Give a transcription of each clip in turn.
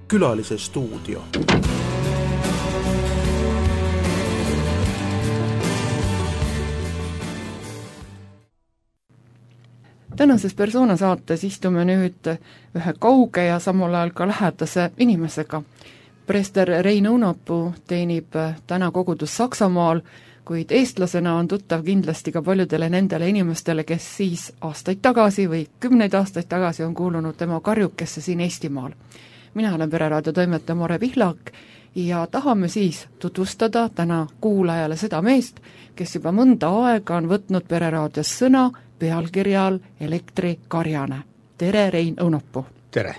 Külalise stuudio. Tänases Persona saates istume nüüd ühe kauge ja samal ajal ka lähedase inimesega. Preester Rein Õunapuu teenib täna kogudus Saksamaal, kuid eestlasena on tuttav kindlasti ka paljudele nendele inimestele, kes siis aastaid tagasi või 10 aastaid tagasi on kuulunud tema karjukesse siin Eestimaal. Mina olen Pereraadio toimetaja Mare Pihlak ja tahame siis tutvustada täna kuulajale seda meest, kes juba mõnda aega on võtnud Pereraadios sõna pealkirjal Elektrikarjane. Tere, Rein Õunapuu! Tere!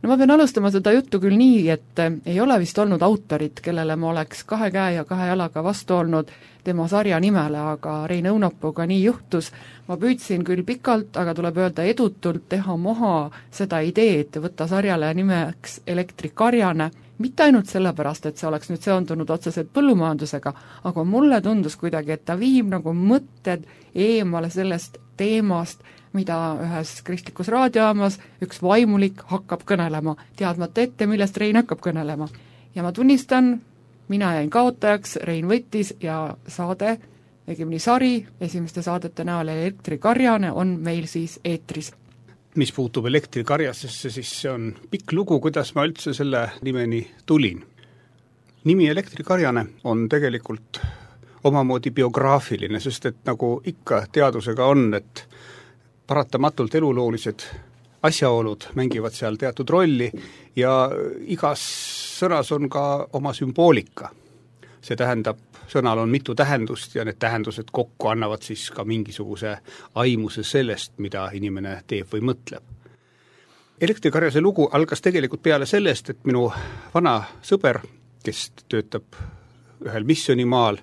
No ma pean alustama seda juttu küll nii, et ei ole vist olnud autorit, kellele ma oleks 2 käe ja 2 jalaga vastu olnud tema sarja nimele, aga Rein Õunapuuga nii juhtus. Ma püüdsin küll pikalt, aga tuleb öelda edutult teha maha seda ideed, võtta sarjale nimeks Elektrikarjane, mitte ainult sellepärast, et see oleks nüüd seondunud otseselt põllumajandusega, aga mulle tundus kuidagi, et ta viib nagu mõtted eemale sellest teemast, mida ühes kristlikus raadiojaamas üks vaimulik hakkab kõnelema, teadmata ette, millest Rein hakkab kõnelema. Ja ma tunnistan, mina jäin kaotajaks, Rein võttis ja saade, õigemini sari, esimeste saadete näol Elektrikarjane on meil siis eetris. Mis puutub Elektrikarjasesse, siis see on pikk lugu, kuidas ma üldse selle nimeni tulin. Nimi Elektrikarjane on tegelikult omamoodi biograafiline, sest et nagu ikka teadusega on, et paratamatult eluloolised asjaolud mängivad seal teatud rolli ja igas sõnas on ka oma sümboolika. See tähendab, sõnal on mitu tähendust ja need tähendused kokku annavad siis ka mingisuguse aimuse sellest, mida inimene teeb või mõtleb. Elektrikarjase lugu algas tegelikult peale sellest, et minu vana sõber, kes töötab ühel missioonimaal,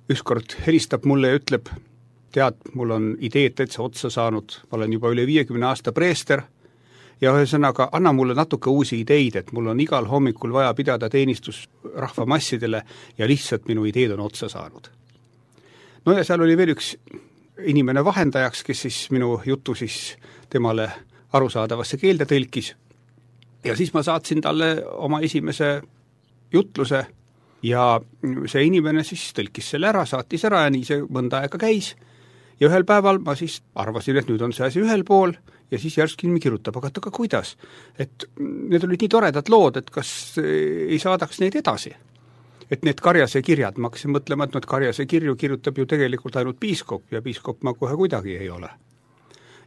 ükskord helistab mulle ja ütleb, tead, mul on ideed täitsa otsa saanud, ma olen juba üle 50 aasta preester ja ühesõnaga anna mulle natuke uusi ideid, et mul on igal hommikul vaja pidada teenistus rahvamassidele ja lihtsalt minu ideed on otsa saanud. No ja seal oli veel üks inimene vahendajaks, kes siis minu jutu siis temale arusaadavasse keelde tõlkis ja siis ma saatsin talle oma esimese jutluse ja see inimene siis tõlkis selle ära, saatis ära ja nii see mõnda aega käis. Ja ühel päeval ma siis arvasin, et nüüd on see asi ühel pool ja siis järsku inimene kirjutab, aga kuidas? Et need olid nii toredad lood, et kas ei saadaks neid edasi? Et need Karjase kirjad, ma hakkasin mõtlema, et need Karjase kirju kirjutab ju tegelikult ainult piiskop ja piiskop ma kohe kuidagi ei ole.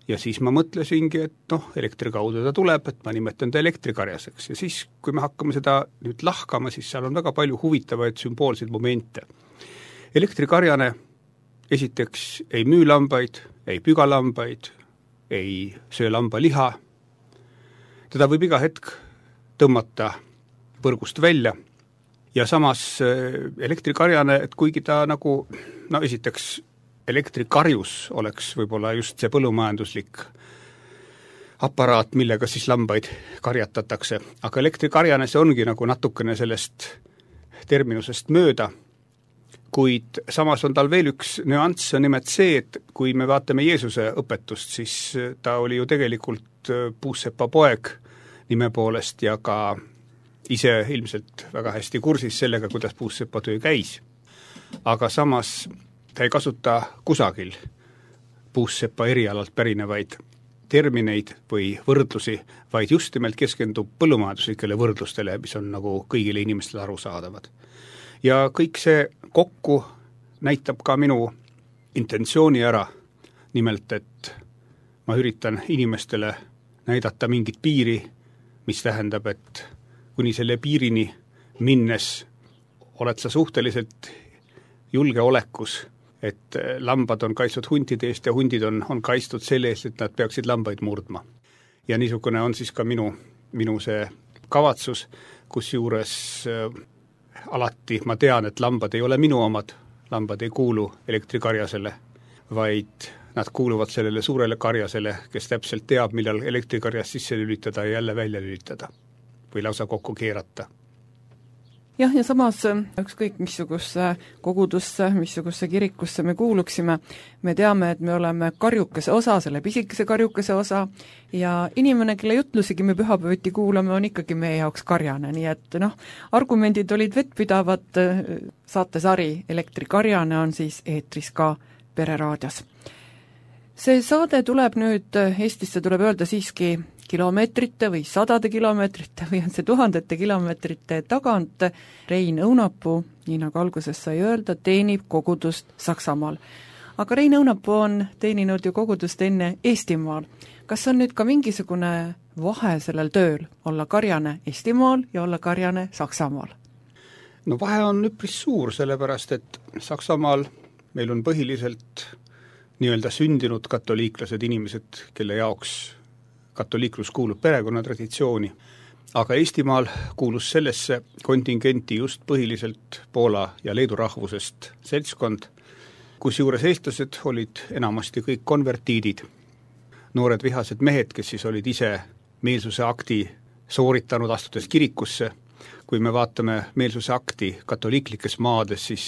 Ja siis ma mõtlesingi, et elektri kaudu ta tuleb, et ma nimetan ta Elektrikarjaseks ja siis, kui me hakkame seda nüüd lahkama, siis seal on väga palju huvitavaid sümboolseid momente. Elektrikarjane esiteks ei müü lambaid, ei püga lambaid, ei söö lamba liha. Teda võib iga hetk tõmmata põrgust välja ja samas elektrikarjane, et kuigi ta nagu, esiteks elektrikarjus oleks võib-olla just see põllumajanduslik aparaat, millega siis lambaid karjatatakse, aga elektrikarjane see ongi nagu natukene sellest terminusest mööda, kuid samas on tal veel üks nüanss, on nimelt see, et kui me vaatame Jeesuse õpetust, siis ta oli ju tegelikult puussepa poeg nime poolest ja ka ise ilmselt väga hästi kursis sellega, kuidas puussepa töö käis. Aga samas ta ei kasuta kusagil puussepa erialalt pärinevaid termineid või võrdlusi, vaid just nimelt keskendub põllumajanduslikele võrdlustele, mis on nagu kõigile inimestele arusaadavad. Ja kõik see kokku näitab ka minu intentsiooni ära, nimelt, et ma üritan inimestele näidata mingit piiri, mis tähendab, et kuni selle piirini minnes oled sa suhteliselt julgeolekus, et lambad on kaitstud huntide eest ja hundid on kaitstud selle eest, et nad peaksid lambaid murdma. Ja niisugune on siis ka minu see kavatsus, kus juures alati ma tean, et lambad ei ole minu omad, lambad ei kuulu elektrikarjasele, vaid nad kuuluvad sellele suurele karjasele, kes täpselt teab, millal elektrikarjas sisse lülitada ja jälle välja lülitada või lausa kokku keerata. jah, ja samas ükskõik missuguse kogudusse, missuguse kirikusse me kuuluksime, me teame, et me oleme karjukese osa, selle pisikese karjukese osa, ja inimene, kelle jutlusigi me pühapäeviti kuulame, on ikkagi meie jaoks karjane, nii et argumendid olid vettpidavad, saatesari Elektrikarjane on siis eetris ka Pereraadios. See saade tuleb nüüd, Eestisse tuleb öelda siiski kilomeetrite või sadade kilomeetrite või on see tuhandete kilomeetrite tagant. Rein Õunapuu, nii nagu alguses sai öelda, teenib kogudust Saksamaal. Aga Rein Õunapuu on teeninud ju kogudust enne Eestimaal. Kas on nüüd ka mingisugune vahe sellel tööl, olla karjane Eestimaal ja olla karjane Saksamaal? No vahe on üpris suur, sellepärast et Saksamaal meil on põhiliselt nii-öelda sündinud katoliiklased inimesed, kelle jaoks katoliiklus kuulub perekonnatraditsiooni, aga Eestimaal kuulus sellesse kontingenti just põhiliselt Poola ja Leedu rahvusest seltskond, kusjuures eestlased olid enamasti kõik konvertiidid, noored vihased mehed, kes siis olid ise meelsuse akti sooritanud astudes kirikusse. Kui me vaatame meelsuse akti katoliiklikes maades, siis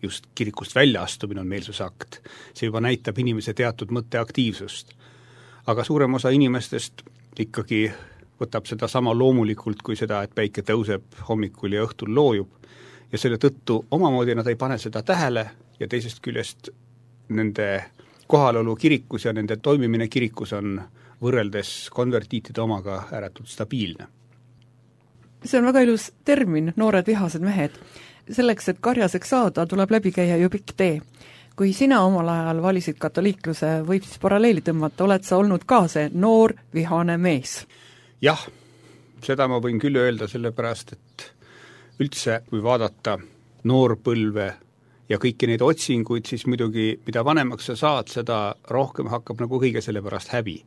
just kirikust väljaastumine on meelsuse akt. See juba näitab inimese teatud mõtteaktiivsust. Aga suurem osa inimestest ikkagi võtab seda sama loomulikult kui seda, et päike tõuseb hommikul ja õhtul loojub. Ja selle tõttu omamoodi nad ei pane seda tähele ja teisest küljest nende kohalolu kirikus ja nende toimimine kirikus on võrreldes konvertiitide omaga ääretult stabiilne. See on väga ilus termin, noored vihased mehed. Selleks, et karjaseks saada, tuleb läbi käia ju pikk tee. Kui sina omal ajal valisid katoliikluse, võib siis paralleeli tõmmata, oled sa olnud ka see noor vihane mees? Jah, seda ma võin küll öelda, sellepärast, et üldse, kui vaadata noorpõlve ja kõiki neid otsinguid, siis muidugi, mida vanemaks sa saad, seda rohkem hakkab nagu kõige selle pärast häbi.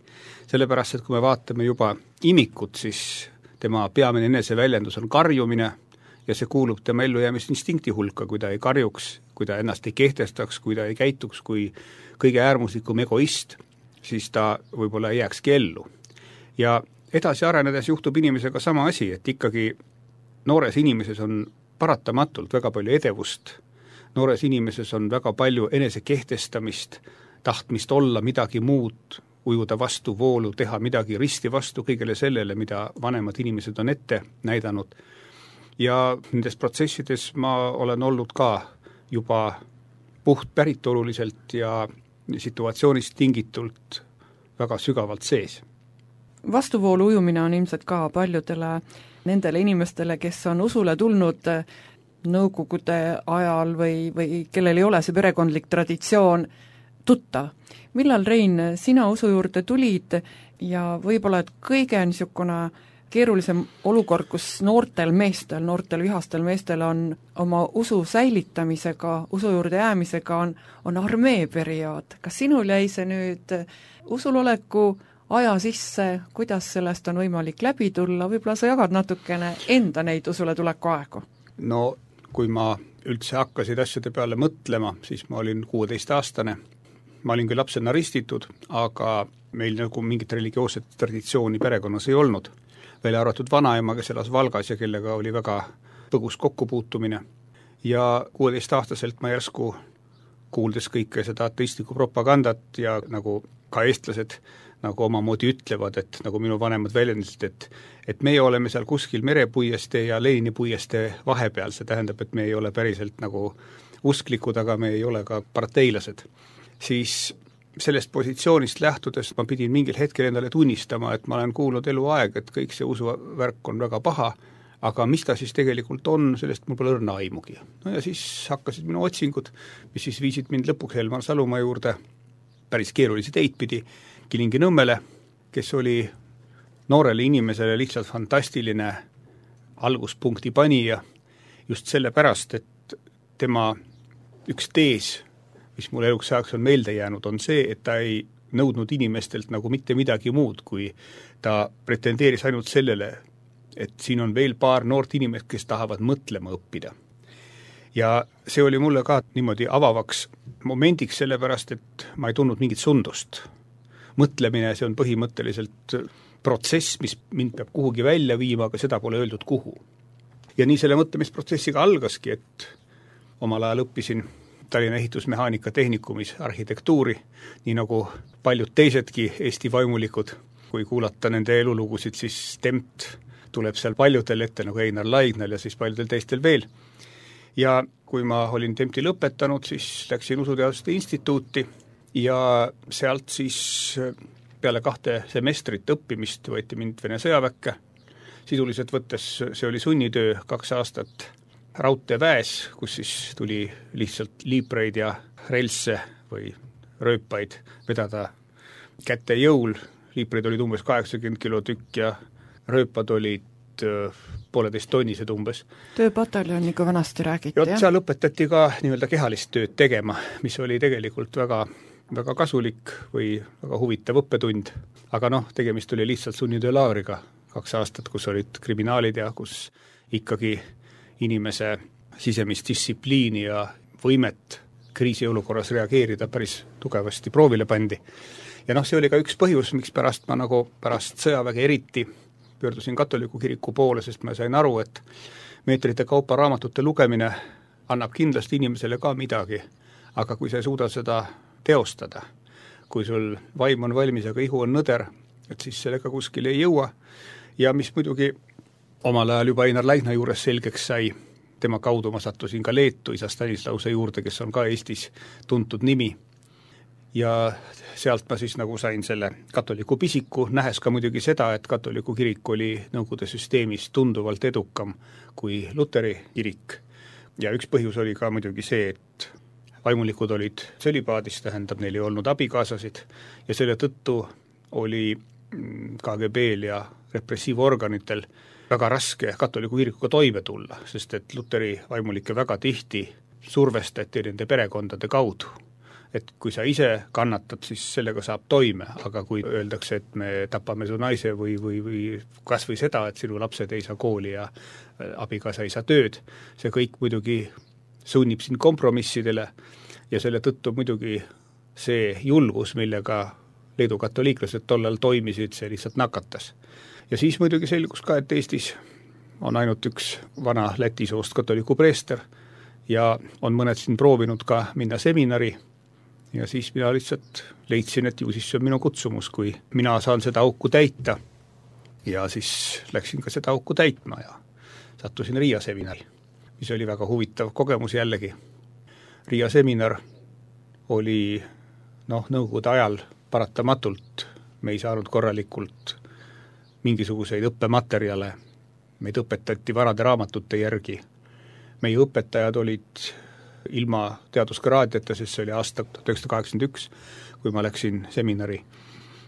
Sellepärast, et kui me vaatame juba imikut, siis tema peamine eneseväljendus on karjumine ja see kuulub tema ellujäämisinstinkti hulka, kui ta ei karjuks, kui ta ennast ei kehtestaks, kui ta ei käituks kui kõige äärmuslikum egoist, siis ta võib-olla ei jääkski ellu. Ja edasi arenedes juhtub inimesega sama asi, et ikkagi noores inimeses on paratamatult väga palju edevust, noores inimeses on väga palju enesekehtestamist, tahtmist olla midagi muud, ujuda vastu voolu, teha midagi risti vastu kõigele sellele, mida vanemad inimesed on ette näidanud. Ja nendes protsessides ma olen olnud ka juba puht päritoluliselt ja situatsioonist tingitult väga sügavalt sees. Vastuvoolu ujumine on ilmselt ka paljudele nendele inimestele, kes on usule tulnud nõukogude ajal või kellel ei ole see perekondlik traditsioon tuttav. Millal, Rein, sina usu juurde tulid ja võib-olla et kõige niisugune keerulisem olukord, kus noortel vihastel meestel on oma usu säilitamisega, usu juurde jäämisega on armee periood. Kas sinul jäi see nüüd usuloleku aja sisse, kuidas sellest on võimalik läbi tulla, võib-olla sa jagad natukene enda neid usule tuleku aegu? No, kui ma üldse hakkasid asjade peale mõtlema, siis ma olin 16-aastane. Ma olin küll lapsena ristitud, aga meil nagu mingit religioosset traditsiooni perekonnas ei olnud. Välja arvatud vanaema, kes elas Valgas ja kellega oli väga põgus kokkupuutumine. Ja 16-aastaselt ma järsku kuuldes kõike seda ateistlikku propagandat ja nagu ka eestlased nagu omamoodi ütlevad, et nagu minu vanemad väljendasid, et meie oleme seal kuskil merepuieste ja Lenini puieste vahepeal, see tähendab, et me ei ole päriselt nagu usklikud, aga me ei ole ka parteilased. Siis sellest positsioonist lähtudes ma pidin mingil hetkel endale tunnistama, et ma olen kuulnud eluaeg, et kõik see usuvärk on väga paha, aga mis ta siis tegelikult on, sellest mul pole õrna aimugi. No ja siis hakkasid minu otsingud, mis siis viisid mind lõpuks Helmar Salumaa juurde päris keerulisi teid pidi Kilingi-Nõmmele, kes oli noorele inimesele lihtsalt fantastiline alguspunkti panija just sellepärast, et tema üks tees, mis mul eluks ajaks on meelde jäänud, on see, et ta ei nõudnud inimestelt nagu mitte midagi muud, kui ta pretendeeris ainult sellele, et siin on veel paar noort inimest, kes tahavad mõtlema õppida. Ja see oli mulle ka niimoodi avavaks momendiks sellepärast, et ma ei tundnud mingit sundust. Mõtlemine, see on põhimõtteliselt protsess, mis mind peab kuhugi välja viima, aga seda pole öeldud kuhu. Ja nii selle mõtlemisprotsessiga algaski, et omal ajal õppisin Tallinna ehitusmehaanika tehnikumis arhitektuuri, nii nagu paljud teisedki Eesti vaimulikud. Kui kuulata nende elulugusid, siis Tempt tuleb seal paljudel ette, nagu Einar Laignal ja siis paljudel teistel veel. Ja kui ma olin Tempti lõpetanud, siis läksin Usuteaduste instituuti ja sealt siis peale 2 semestrit õppimist võeti mind Vene sõjaväkke. Sisuliselt võttes see oli sunnitöö 2 aastat raudteeväes, kus siis tuli lihtsalt liibreid ja relsse või rööpaid vedada käte jõul. Liibreid olid umbes 80 kilo tükk ja rööpad olid 1,5 tonnised umbes. Tööpataljoniga vanasti räägiti, jah? Seal õpetati ka nii-öelda kehalist tööd tegema, mis oli tegelikult väga, väga kasulik või väga huvitav õppetund. Aga tegemist oli lihtsalt sunnitöölaagriga 2 aastat, kus olid kriminaalid ja kus ikkagi inimese sisemist distsipliini ja võimet kriisiolukorras reageerida päris tugevasti proovile pandi. Ja see oli ka üks põhjus, miks pärast ma pärast sõjaväge eriti pöördusin katoliku kiriku poole, sest ma sain aru, et meetrite kaupa raamatute lugemine annab kindlasti inimesele ka midagi, aga kui sa ei suuda seda teostada, kui sul vaim on valmis, aga ihu on nõder, et siis sellega kuskil ei jõua. Ja mis muidugi omal ajal juba Einar Laigna juures selgeks sai, tema kaudu ma sattusin ka Leetu isa Stanislause juurde, kes on ka Eestis tuntud nimi. Ja sealt ma siis sain selle katoliku pisiku, nähes ka muidugi seda, et katoliku kirik oli Nõukogude süsteemis tunduvalt edukam kui Luteri kirik. Ja üks põhjus oli ka muidugi see, et vaimulikud olid sõlipaadis, tähendab, neil ei olnud abikaasasid ja selle tõttu oli KGB-l ja repressiivorganitel väga raske katoliku kirikuga toime tulla, sest et Luteri vaimulikke väga tihti survestati nende perekondade kaudu. Et kui sa ise kannatad, siis sellega saab toime, aga kui öeldakse, et me tapame su naise või kas või seda, et sinu lapsed ei saa kooli ja abikaasa ei saa tööd, see kõik muidugi sunnib sind kompromissidele ja selle tõttu muidugi see julgus, millega Leedu katoliiklased tollal toimisid, see lihtsalt nakatas. Ja siis muidugi selgus ka, et Eestis on ainult üks vana Läti soost katoliku preester ja on mõned siin proovinud ka minna seminari. Ja siis mina lihtsalt leidsin, et ju siis see on minu kutsumus, kui mina saan seda auku täita. Ja siis läksin ka seda auku täitma ja sattusin Riia seminari, mis oli väga huvitav kogemus jällegi. Riia seminar oli nõukogude ajal paratamatult, me ei saanud korralikult mingisuguseid õppematerjale, meid õpetati vanade raamatute järgi. Meie õpetajad olid ilma teaduskraadiata, sest see oli aasta 1981, kui ma läksin seminari,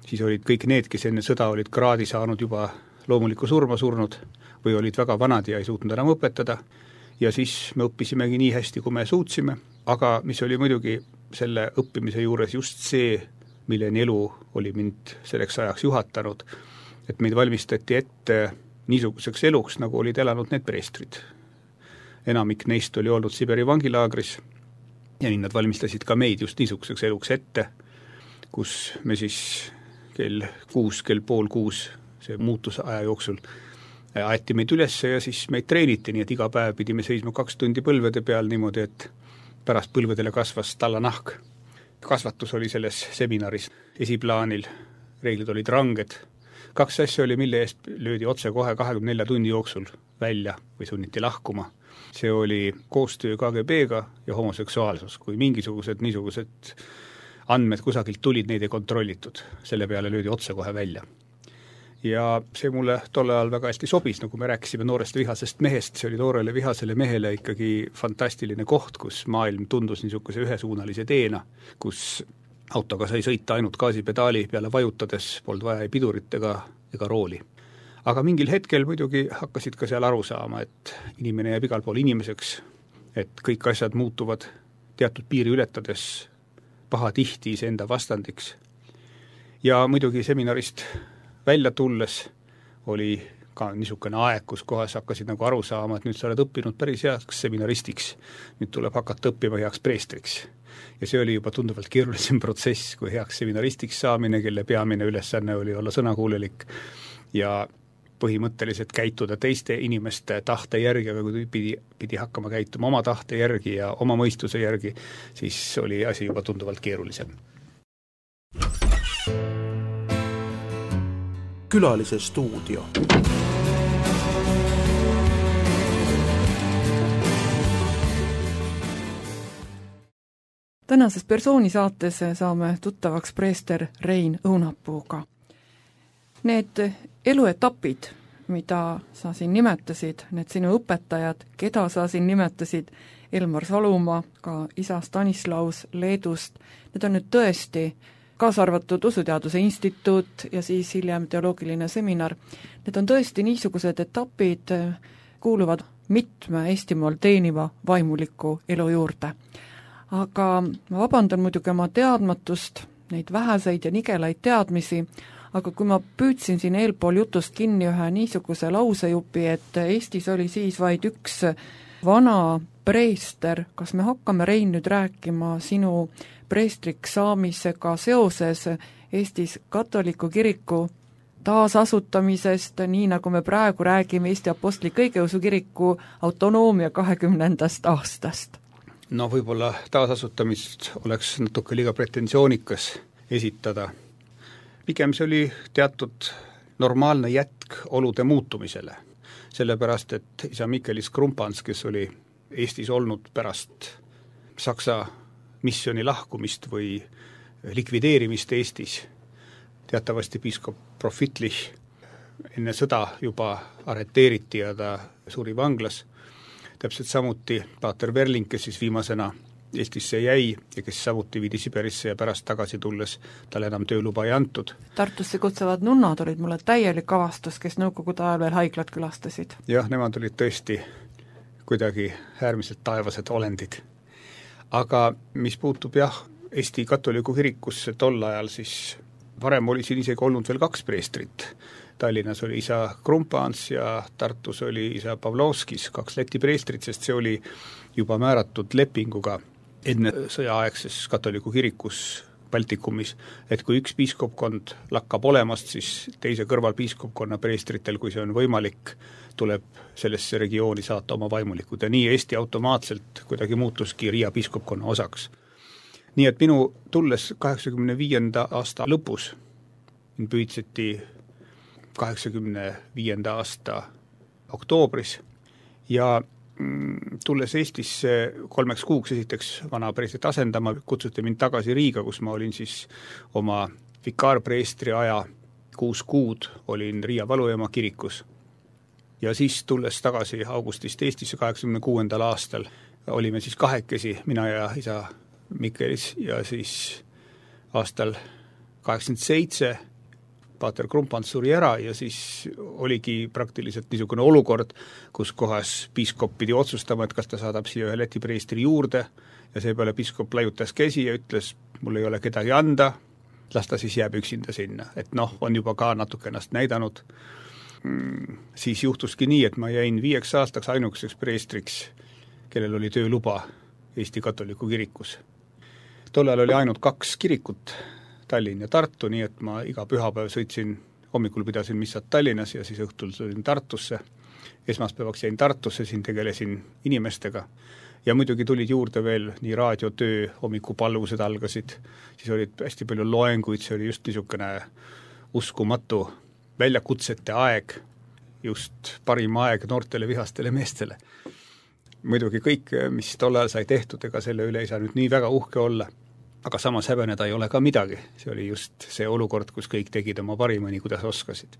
siis olid kõik need, kes enne sõda olid kraadi saanud juba loomulikku surma surnud või olid väga vanad ja ei suutnud enam õpetada ja siis me õppisimegi nii hästi, kui me suutsime, aga mis oli muidugi selle õppimise juures just see, milleni elu oli mind selleks ajaks juhatanud, et meid valmistati ette niisuguseks eluks, nagu olid elanud need preestrid. Enamik neist oli olnud Siberi vangilaagris ja nii nad valmistasid ka meid just niisuguseks eluks ette, kus me siis kell 5:30 see muutusaja jooksul aeti meid üles ja siis meid treeniti, nii et iga päev pidime seisma 2 tundi põlvede peal niimoodi, et pärast põlvedele kasvas tallanahk. Kasvatus oli selles seminaris esiplaanil, reeglid olid ranged. 2 asja oli, mille eest löödi otse kohe 24 tunni jooksul välja või sunniti lahkuma. See oli koostöö KGB-ga ja homoseksuaalsus. Kui mingisugused niisugused andmed kusagilt tulid, neid ei kontrollitud. Selle peale löödi otse kohe välja. Ja see mulle tolle ajal väga hästi sobis, nagu me rääkisime noorest vihasest mehest, see oli noorele vihasele mehele ikkagi fantastiline koht, kus maailm tundus niisuguse ühesuunalise teena, kus autoga sai sõita ainult gaasipedaali peale vajutades, polnud vaja ei pidurit ega rooli. Aga mingil hetkel muidugi hakkasid ka seal aru saama, et inimene jääb igal pool inimeseks, et kõik asjad muutuvad teatud piiri ületades pahatihti iseenda vastandiks. Ja muidugi seminarist välja tulles oli ka niisugune aeg, kus kohas hakkasid nagu aru saama, et nüüd sa oled õppinud päris heaks seminaristiks, nüüd tuleb hakata õppima heaks preestriks. Ja see oli juba tunduvalt keerulisem protsess, kui heaks seminaristiks saamine, kelle peamine ülesanne oli olla sõnakuulelik ja põhimõtteliselt käituda teiste inimeste tahte järgi, aga kui pidi hakkama käituma oma tahte järgi ja oma mõistuse järgi, siis oli asi juba tunduvalt keerulisem. Külalise stuudio. Tänases persoonisaates saame tuttavaks preester Rein Õunapuuga. Need eluetapid, mida sa siin nimetasid, need sinu õpetajad, keda sa siin nimetasid, Elmar Salumaa, ka isa Stanislaus Leedust, need on nüüd tõesti, kaasa arvatud Usuteaduse Instituut ja siis hiljem teoloogiline seminar, need on tõesti niisugused etapid, kuuluvad mitme Eestimaal teeniva vaimuliku elu juurde. Aga ma vabandan muidugi oma teadmatust, neid väheseid ja nigelaid teadmisi, aga kui ma püüdsin siin eelpool jutust kinni ühe niisuguse lausejupi, et Eestis oli siis vaid üks vana preester, kas me hakkame, Rein, nüüd rääkima sinu preestriks saamisega seoses Eestis katoliku kiriku taasasutamisest, nii nagu me praegu räägime Eesti Apostlik-Õigeusu kiriku autonoomia 20. aastast? No võib-olla taasasutamist oleks natuke liiga pretensioonikas esitada. Pigem see oli teatud normaalne jätk olude muutumisele, sellepärast et isa Mikelis Krumpans, kes oli Eestis olnud pärast Saksa missiooni lahkumist või likvideerimist Eestis, teatavasti piiskop Profitlich enne sõda juba arreteeriti ja ta suri vanglas. Täpselt samuti Paater Verling, kes siis viimasena Eestisse jäi ja kes samuti viidi Siberisse ja pärast tagasi tulles tal enam tööluba ei antud. Tartusse kutsuvad nunnad olid mulle täielik avastus, kes nõukogude ajal veel haiglat külastasid. Jah, nemad olid tõesti kuidagi äärmiselt taevased olendid. Aga mis puutub Eesti katoliku kirikusse tol ajal, siis varem oli siin isegi olnud veel 2 preestrit. Tallinnas oli isa Krumpans ja Tartus oli isa Pavlovskis, 2 Läti preestrit, sest see oli juba määratud lepinguga enne sõjaaegses katoliku kirikus Baltikumis, et kui üks piiskopkond lakkab olemast, siis teise kõrval piiskopkonna preestritel, kui see on võimalik, tuleb sellesse regiooni saata oma vaimulikud ja nii Eesti automaatselt kuidagi muutuski Riia piiskopkonna osaks. Nii et minu tulles 85. aasta lõpus püüdseti 85. aasta oktoobris ja tulles Eestisse 3 kuuks esiteks vana preestrit asendama, kutsuti mind tagasi Riiga, kus ma olin siis oma vikaarpreestri aja 6 kuud, olin Riia Valujaama kirikus. Ja siis tulles tagasi augustist Eestisse 86. aastal, olime siis 2, mina ja isa Mikelis ja siis aastal 87 Paater Krumpans suri ära ja siis oligi praktiliselt niisugune olukord, kus kohas piiskop pidi otsustama, et kas ta saadab siia ühe Läti preestri juurde ja seepeale piiskop laiutas käsi ja ütles, mul ei ole kedagi anda, las ta siis jääb üksinda sinna, et on juba ka natuke ennast näidanud. Siis juhtuski nii, et ma jäin 5 aastaks ainukeseks preestriks, kellel oli tööluba Eesti katoliku kirikus. Tollal oli ainult 2 kirikut, Tallinn ja Tartu, nii et ma iga pühapäev sõitsin, hommikul pidasin missat Tallinnas ja siis õhtul sõin Tartusse. Esmaspäevaks jäin Tartusse, siin tegelesin inimestega ja muidugi tulid juurde veel nii raadiotöö, hommikupalvused algasid, siis olid hästi palju loenguid, see oli just niisugune uskumatu väljakutsete aeg, just parim aeg noortele vihastele meestele. Muidugi kõik, mis tollal sai tehtud, ega selle üle ei saa nüüd nii väga uhke olla. Aga samas häbeneda ei ole ka midagi. See oli just see olukord, kus kõik tegid oma parimani, kuidas oskasid.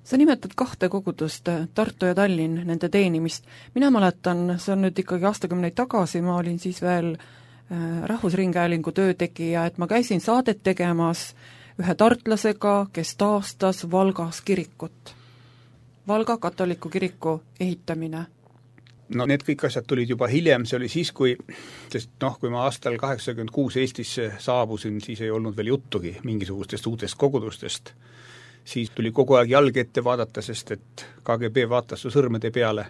Sa nimetad 2 kogudust, Tartu ja Tallinn, nende teenimist. Mina mäletan, see on nüüd ikkagi aastakümneid tagasi, ma olin siis veel Rahvusringhäälingu töötegija, et ma käisin saadet tegemas ühe tartlasega, kes taastas Valgas kirikut. Valga katoliku kiriku ehitamine. No need kõik asjad tulid juba hiljem, see oli siis, kui ma aastal 86 Eestisse saabusin, siis ei olnud veel juttugi mingisugustest uutest kogudustest. Siis tuli kogu aeg jalg ette vaadata, sest et KGB vaatas su sõrmede peale.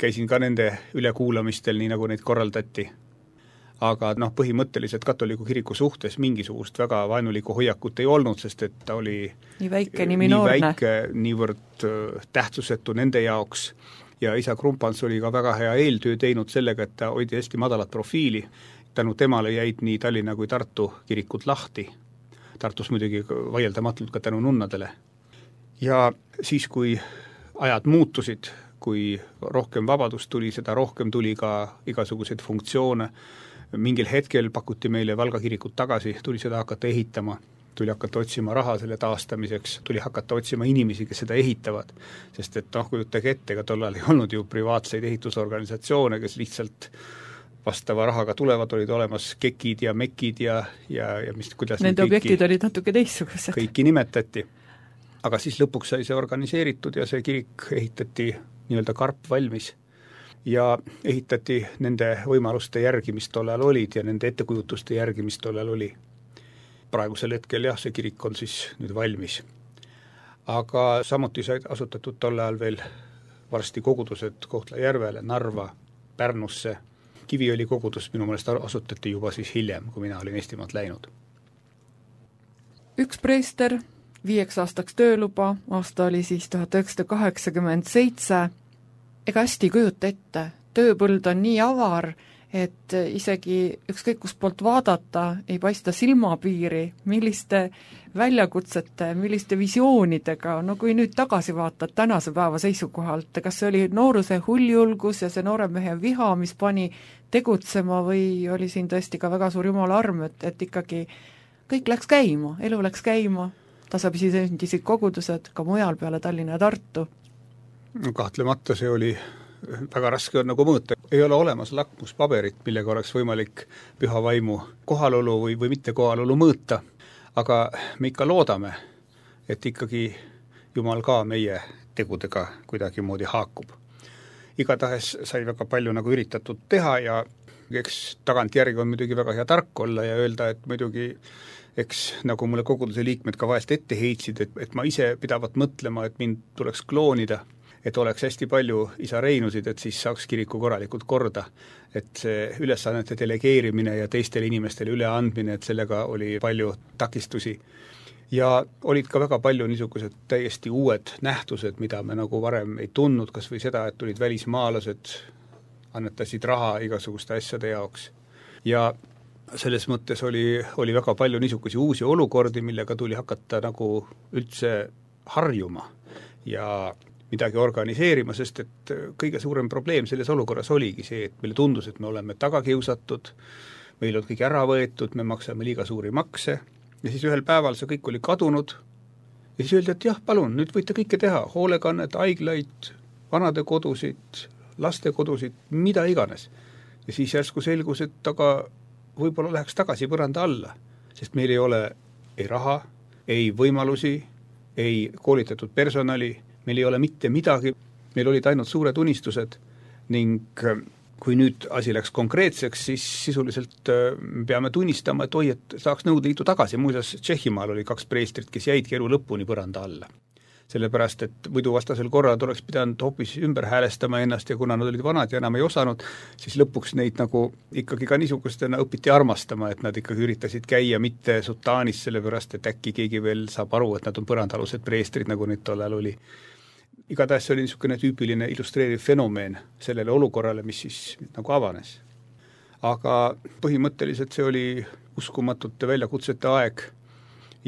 Käisin ka nende ülekuulamistel, nii nagu neid korraldati. aga põhimõtteliselt katoliku kiriku suhtes mingisugust väga vaenulikku hoiakut ei olnud, sest et ta oli nii väike, nii minoorne, niivõrd tähtsusetu nende jaoks ja isa Krumpans oli ka väga hea eeltöö teinud sellega, et ta hoidi hästi madalat profiili. Tänu temale jäid nii Tallinna kui Tartu kirikud lahti. Tartus muidugi vaieldamatult ka tänu nunnadele. Ja siis, kui ajad muutusid, kui rohkem vabadust tuli, seda rohkem tuli ka igasuguseid funktsioone. Mingil hetkel pakuti meile Valga kirikut tagasi, tuli seda hakata ehitama, tuli hakata otsima raha selle taastamiseks, tuli hakata otsima inimesi, kes seda ehitavad. Sest et kujutage ette, ega tollal ei olnud ju privaatseid ehitusorganisatsioone, kes lihtsalt vastava rahaga tulevad, olid olemas kekid ja mekid ja kuidas nende objektid olid natuke teistsugused. Kõiki nimetati. Aga siis lõpuks sai see organiseeritud ja see kirik ehitati nii-öelda karp valmis. Ja ehitati nende võimaluste järgi, mis tollal olid ja nende ettekujutuste järgi, mis tollal oli. Praegusel hetkel see kirik on siis nüüd valmis. Aga samuti said asutatud tollal veel varsti kogudused Kohtla-Järvele, Narva, Pärnusse. Kiviõli kogudus minu meelest asutati juba siis hiljem, kui mina olin Eestimaalt läinud. Üks preester, 5 aastaks tööluba, aasta oli siis 1987. Ega hästi kujuta ette, tööpõld on nii avar, et isegi ükskõik kus poolt vaadata ei paista silmapiiri, milliste väljakutsete, milliste visioonidega, kui nüüd tagasi vaatad tänase päeva seisukohalt, kas see oli nooruse hulljulgus ja see noore mehe viha, mis pani tegutsema või oli siin tõesti ka väga suur jumala arm, et ikkagi kõik läks käima, elu läks käima, tasapisi sündisid kogudused ka mujal peale Tallinna ja Tartu. Kahtlemata see oli väga raske on mõõta. Ei ole olemas lakmuspaberit, millega oleks võimalik püha vaimu kohalolu või mitte kohalolu mõõta, aga me ikka loodame, et ikkagi Jumal ka meie tegudega kuidagi moodi haakub. Igatahes sai väga palju üritatud teha ja eks tagantjärgi on muidugi väga hea tark olla ja öelda, et muidugi eks nagu mulle koguduse liikmed ka vahest ette heitsid, et ma ise pidavat mõtlema, et mind tuleks kloonida, et oleks hästi palju isa Reinusid, et siis saaks kiriku korralikult korda. Et see ülesannete delegeerimine ja teistele inimestele üleandmine, et sellega oli palju takistusi. Ja olid ka väga palju niisugused täiesti uued nähtused, mida me varem ei tundnud, kas või seda, et tulid välismaalased, annetasid raha igasuguste asjade jaoks. Ja selles mõttes oli väga palju niisugusi uusi olukordi, millega tuli hakata üldse harjuma ja midagi organiseerima, sest et kõige suurem probleem selles olukorras oligi see, et meile tundus, et me oleme tagakiusatud, meil on kõik ära võetud, me maksame liiga suuri makse ja siis ühel päeval see kõik oli kadunud ja siis öeldi, et jah, palun, nüüd võite kõike teha, hoolekannet, haiglaid, vanade kodusid, lastekodusid, mida iganes. Ja siis järsku selgus, et aga võib-olla läheks tagasi põranda alla, sest meil ei ole ei raha, ei võimalusi, ei koolitatud personali, meil ei ole mitte midagi, meil olid ainult suured unistused ning kui nüüd asi läks konkreetseks, siis sisuliselt peame tunnistama, et et saaks Nõukogude Liitu tagasi. Muuseas, Tšehhimaal oli 2 preestrit, kes jäidki elu lõpuni põranda alla. Sellepärast, et muidu vastasel korral oleks pidanud hoopis ümber häälestama ennast ja kuna nad olid vanad ja enam ei osanud, siis lõpuks neid ikkagi ka niisugustena õpiti armastama, et nad ikkagi üritasid käia mitte sutaanis, sellepärast, et äkki keegi veel saab aru, et nad on põrandalused preestrid, nagu neid tollal oli. Igatahes see oli niisugune tüüpiline illustreeriv fenomeen sellele olukorrale, mis siis avanes. Aga põhimõtteliselt see oli uskumatute väljakutsete aeg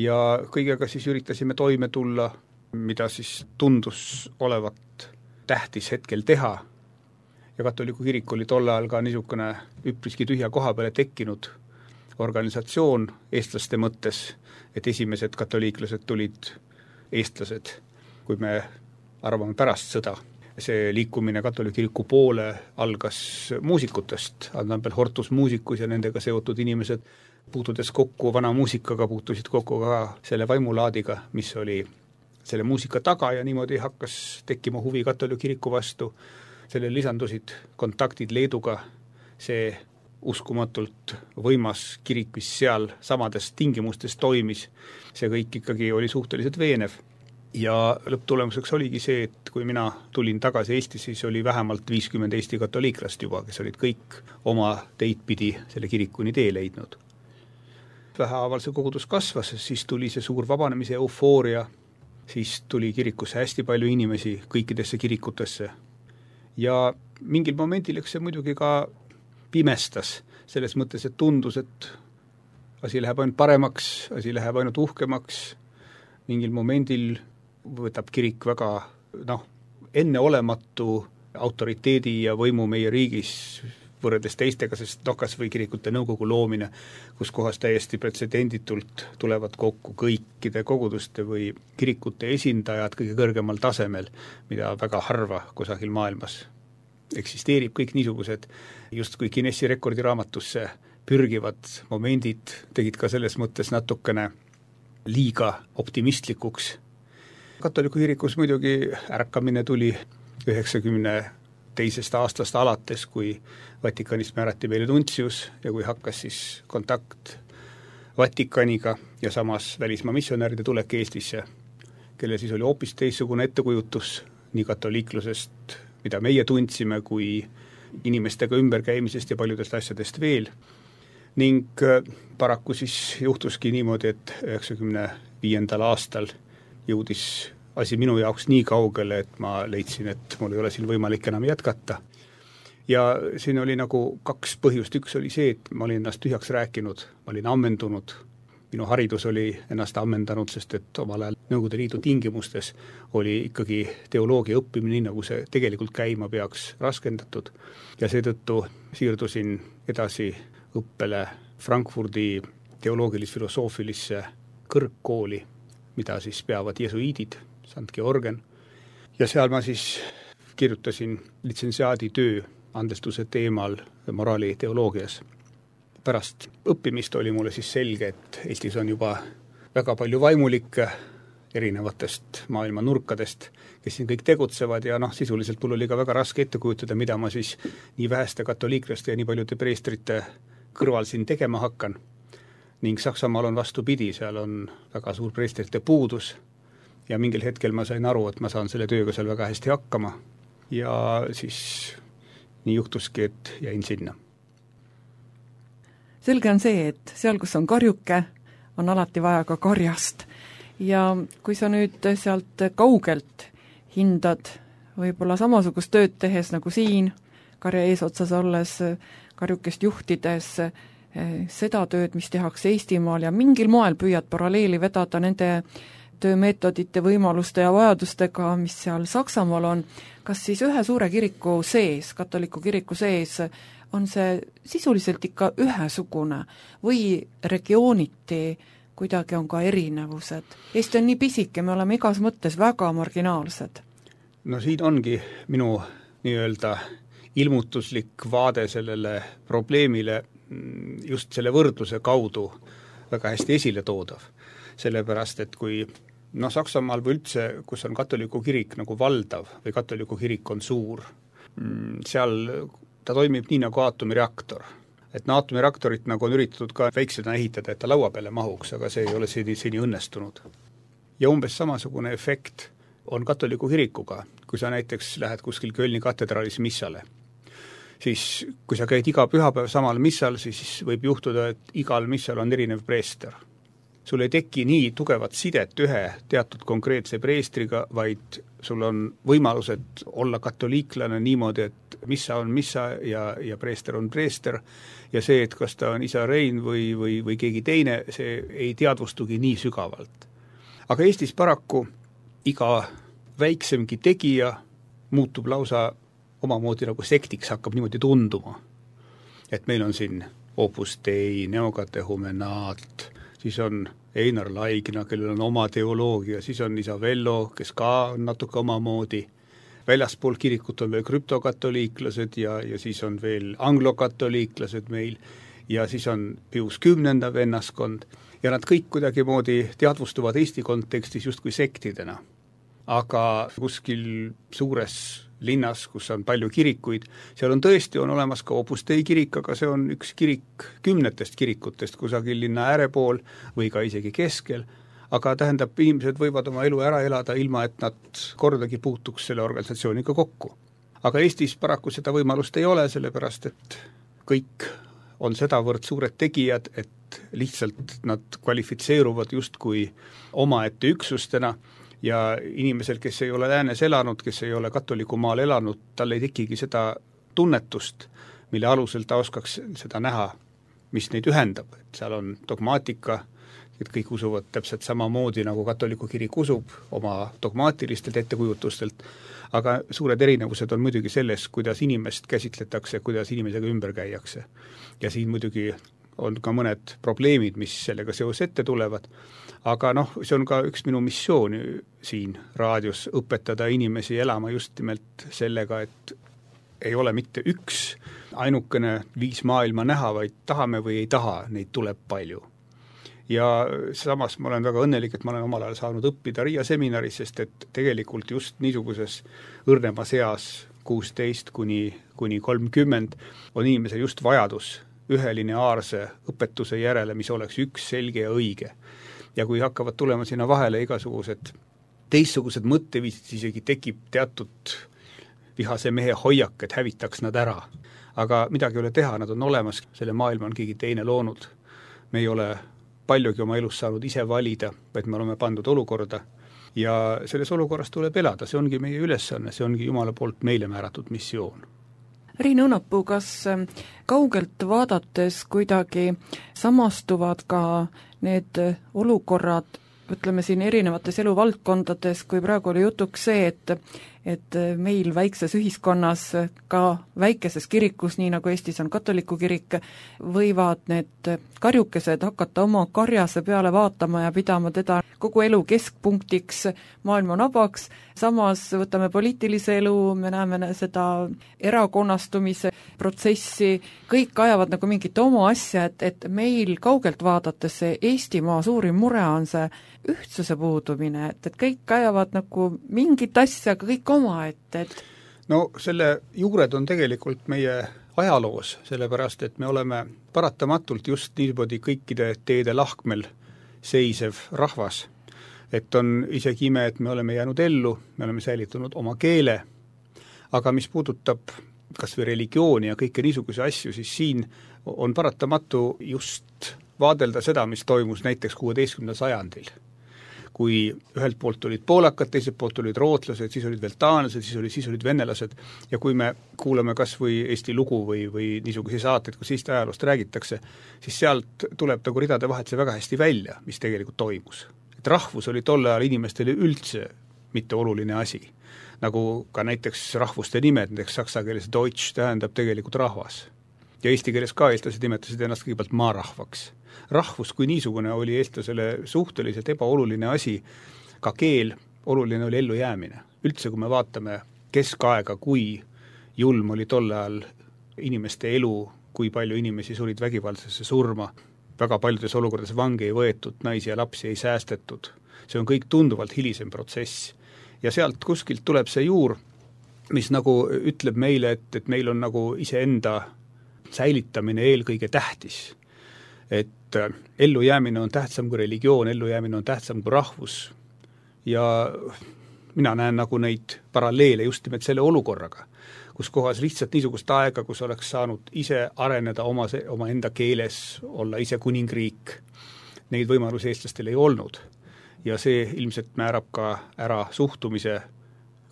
ja kõigega siis üritasime toime tulla, mida siis tundus olevat tähtis hetkel teha. Ja katoliku kirik oli tol ajal ka niisugune üpriski tühja koha peale tekkinud organisatsioon eestlaste mõttes, et esimesed katoliiklased tulid eestlased, kui me arvame pärast sõda. See liikumine katoliku kiriku poole algas muusikutest, Annabel Hortus muusikus ja nendega seotud inimesed puutudes kokku vana muusikaga, puutusid kokku ka selle vaimulaadiga, mis oli selle muusika taga ja niimoodi hakkas tekkima huvi katoliku kiriku vastu. Sellele lisandusid kontaktid Leeduga, see uskumatult võimas kirik, mis seal samades tingimustes toimis, see kõik ikkagi oli suhteliselt veenev. ja lõpptulemuseks oligi see, et kui mina tulin tagasi Eestisse, siis oli vähemalt 50 Eesti katoliiklast juba, kes olid kõik oma teid pidi selle kirikuni tee leidnud. Vähehaaval see kogudus kasvas, siis tuli see suur vabanemise eufooria, siis tuli kirikusse hästi palju inimesi kõikidesse kirikutesse ja mingil momendil eks see muidugi ka pimestas, selles mõttes, et tundus, et asi läheb ainult paremaks, asi läheb ainult uhkemaks, mingil momendil võtab kirik väga enneolematu autoriteedi ja võimu meie riigis võrreldes teistega, sest kas või kirikute nõukogu loomine, kus kohas täiesti pretsedenditult tulevad kokku kõikide koguduste või kirikute esindajad kõige kõrgemal tasemel, mida väga harva kusagil maailmas eksisteerib, kõik niisugused justkui Guinessi rekordiraamatusse pürgivad momendid tegid ka selles mõttes natukene liiga optimistlikuks. Katoliku kirikus muidugi ärkamine tuli 92. aastast alates, kui Vatikanist määrati meile nuntsius ja kui hakkas siis kontakt Vatikaniga ja samas välismaa missionäride tulek Eestisse, kelle siis oli hoopis teistsugune ettekujutus nii katoliiklusest, mida meie tundsime, kui inimestega ümberkäimisest ja paljudest asjadest veel. Ning paraku siis juhtuski niimoodi, et 95. aastal jõudis asi minu jaoks nii kaugele, et ma leidsin, et mul ei ole siin võimalik enam jätkata. Ja siin oli nagu kaks põhjust. Üks oli see, et ma olin ennast tühjaks rääkinud, ma olin ammendunud, minu haridus oli ennast ammendanud, sest et omal ajal Nõukogude Liidu tingimustes oli ikkagi teoloogia õppimine nii, nagu see tegelikult käima peaks raskendatud. Ja seetõttu siirdusin edasi õppele Frankfurdi teoloogilis-filosoofilisse kõrgkooli, mida siis peavad jesuiidid, St. Georgen. Ja seal ma siis kirjutasin litsentsiaadi töö andestuse teemal moraali teoloogias. Pärast õppimist oli mulle siis selge, et Eestis on juba väga palju vaimulikke erinevatest maailma nurkadest, kes siin kõik tegutsevad ja sisuliselt mul oli ka väga raske ette kujutada, mida ma siis nii väheste katoliiklaste ja nii paljude preestrite kõrval siin tegema hakkan. Ning Saksamaal on vastupidi, seal on väga suur preestrite puudus ja mingil hetkel ma sain aru, et ma saan selle tööga seal väga hästi hakkama ja siis nii juhtuski, et jäin sinna. Selge on see, et seal, kus on karjuke, on alati vaja ka karjast. Ja kui sa nüüd sealt kaugelt hindad võib-olla samasugust tööd tehes nagu siin, karja eesotsas olles, karjukest juhtides, seda tööd, mis tehakse Eestimaal ja mingil moel püüad paralleeli vedada nende töömeetodite, võimaluste ja vajadustega, mis seal Saksamaal on, kas siis ühe suure kiriku sees, katoliku kiriku sees, on see sisuliselt ikka ühesugune või regiooniti kuidagi on ka erinevused? Eesti on nii pisike, me oleme igas mõttes väga marginaalsed. No siin ongi minu nii-öelda ilmutuslik vaade sellele probleemile just selle võrdluse kaudu väga hästi esile toodav. Sellepärast, et kui Saksamaal või üldse, kus on katoliku kirik nagu valdav või katoliku kirik on suur, seal ta toimib nii nagu aatomireaktor. Et aatomireaktorit nagu on üritatud ka väiksena ehitada, et ta laua peale mahuks, aga see ei ole seni õnnestunud. Ja umbes samasugune efekt on katoliku kirikuga, kui sa näiteks lähed kuskil Kölni katedraalis missale. Siis kui sa käid iga pühapäev samal missal, siis võib juhtuda, et igal missal on erinev preester. Sul ei teki nii tugevat sidet ühe teatud konkreetse preestriga, vaid sul on võimalused olla katoliiklane niimoodi, et missa on missa ja preester on preester ja see, et kas ta on isa Rein või keegi teine, see ei teadvustugi nii sügavalt. Aga Eestis paraku iga väiksemgi tegija muutub lausa omamoodi nagu sektiks, hakkab niimoodi tunduma. Et meil on siin Opus Dei, Neokatehumenaat, siis on Einar Laigna, kellel on oma teoloogia, siis on Isavello, kes ka on natuke omamoodi. Väljaspool kirikut on veel krüptokatoliiklased ja siis on veel anglokatoliiklased meil ja siis on Pius 10. vennaskond ja nad kõik kuidagi moodi teadvustuvad Eesti kontekstis justkui sektidena. Aga kuskil suures linnas, kus on palju kirikuid, seal on tõesti on olemas ka Opus Dei kirik, aga see on üks kirik 10 kirikutest kusagil linna äärepool või ka isegi keskel, aga tähendab, inimesed võivad oma elu ära elada ilma, et nad kordagi puutuks selle organisatsiooniga kokku. Aga Eestis paraku seda võimalust ei ole, sellepärast et kõik on sedavõrd suured tegijad, et lihtsalt nad kvalifitseeruvad justkui omaette üksustena ja inimesel, kes ei ole läänes elanud, kes ei ole katoliku maal elanud, tal ei tekigi seda tunnetust, mille alusel ta oskaks seda näha, mis neid ühendab, et seal on dogmaatika, et kõik usuvad täpselt samamoodi, nagu katoliku kirik usub oma dogmaatilistelt ettekujutustelt, aga suured erinevused on muidugi selles, kuidas inimest käsitletakse, kuidas inimesega ümber käiakse. Ja siin muidugi on ka mõned probleemid, mis sellega seos ette tulevad, aga see on ka üks minu missioon siin raadios õpetada inimesi elama just nimelt sellega, et ei ole mitte üks ainukene viis maailma näha, vaid tahame või ei taha, neid tuleb palju. Ja samas ma olen väga õnnelik, et ma olen omal ajal saanud õppida Riia seminaris, sest et tegelikult just niisuguses õrnemas eas 16 kuni 30 on inimesel just vajadus ühe lineaarse õpetuse järele, mis oleks üks selge ja õige. Ja kui hakkavad tulema sinna vahele igasugused teistsugused mõtteviisid, isegi tekib teatud vihase mehe hoiak, et hävitaks nad ära. Aga midagi ei ole teha, nad on olemas, selle maailma on keegi teine loonud. Me ei ole paljugi oma elus saanud ise valida, vaid me oleme pandud olukorda ja selles olukorras tuleb elada, see ongi meie ülesanne, see ongi Jumala poolt meile määratud missioon. Rein Õunapuu, kas kaugelt vaadates kuidagi samastuvad ka need olukorrad, ütleme siin erinevates eluvaldkondades, kui praegu oli jutuks see, et meil väikses ühiskonnas, ka väikeses kirikus, nii nagu Eestis on katoliku kirik, võivad need karjukesed hakata oma karjase peale vaatama ja pidama teda kogu elu keskpunktiks, maailma nabaks, samas võtame poliitilise elu, me näeme seda erakonnastumise protsessi, kõik ajavad nagu mingit oma asja, et meil kaugelt vaadates see Eestimaa suurim mure on see ühtsuse puudumine, et kõik ajavad nagu mingit asja, aga kõik oma, et No selle juured on tegelikult meie ajaloos, sellepärast et me oleme paratamatult just niimoodi kõikide teede lahkmel seisev rahvas. Et on isegi ime, et me oleme jäänud ellu, me oleme säilitunud oma keele, aga mis puudutab kas või religiooni ja kõike niisuguse asju, siis siin on paratamatu just vaadelda seda, mis toimus näiteks 16. sajandil. Kui ühelt poolt olid poolakad, teiselt poolt olid rootlased, siis olid veel taanlased, siis olid venelased ja kui me kuulame kas või Eesti lugu või niisuguse saateid, kus Eesti ajaloost räägitakse, siis sealt tuleb nagu ridade vahelt see väga hästi välja, mis tegelikult toimus. Et rahvus oli tolle ajal inimestele üldse mitte oluline asi, nagu ka näiteks rahvuste nimed, näiteks saksa keeles Deutsch tähendab tegelikult rahvas. Ja eesti keeles ka eestlased nimetasid ennast kõigepealt maarahvaks. Rahvus kui niisugune oli eestlasele suhteliselt ebaoluline asi, ka keel, oluline oli ellu jäämine. Üldse, kui me vaatame keskaega, kui julm oli tolle ajal inimeste elu, kui palju inimesi surid vägivaldsesse surma, väga paljudes olukordades vangi ei võetud, naisi ja lapsi ei säästetud. See on kõik tunduvalt hilisem protsess. Ja sealt kuskilt tuleb see juur, mis nagu ütleb meile, et meil on nagu iseenda säilitamine eelkõige tähtis. Et ellujäämine on tähtsam kui religioon, ellujäämine on tähtsam kui rahvus. Ja mina näen nagu neid paralleele just nimelt selle olukorraga, kus kohas lihtsalt niisugust aega, kus oleks saanud ise areneda oma enda keeles, olla ise kuningriik. Neid võimalusi eestlastel ei olnud. Ja see ilmselt määrab ka ära suhtumise,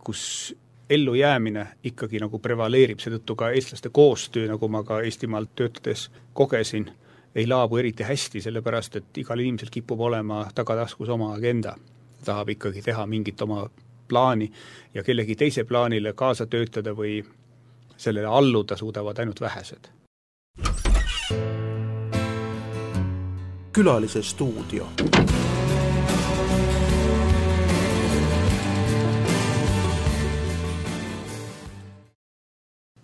kus ellujäämine ikkagi nagu prevaleerib, seetõttu ka eestlaste koostöö, nagu ma ka Eestimaalt töötades kogesin, ei laabu eriti hästi, sellepärast, et igal inimesel kipub olema tagataskus oma agenda. Tahab ikkagi teha mingit oma plaani ja kellegi teise plaanile kaasa töötada või sellele alluda suudavad ainult vähesed. Külalise stuudio.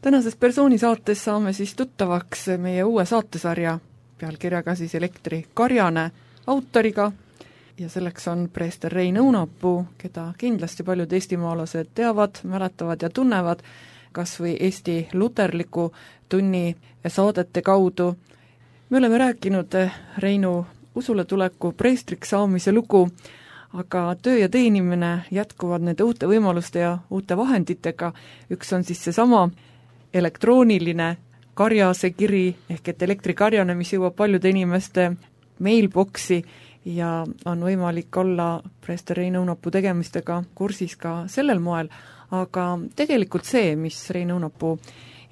Tänases persoonisaates saame siis tuttavaks meie uue saatesarja pealkirjaga siis Elektrikarjane autoriga ja selleks on preester Rein Õunapuu, keda kindlasti paljud eestimaalased teavad, mäletavad ja tunnevad kas või Eesti luterliku tunni saadete kaudu. Me oleme rääkinud Reinu usule tuleku preestriks saamise lugu, aga töö ja teenimine jätkuvad nende uute võimaluste ja uute vahenditega. Üks on siis seesama elektrooniline karjase kiri, ehk et elektrikarjane, mis jõuab paljude inimeste mailboxi ja on võimalik olla preester Rein Õunapuu tegemistega kursis ka sellel moel, aga tegelikult see, mis Rein Õunapuu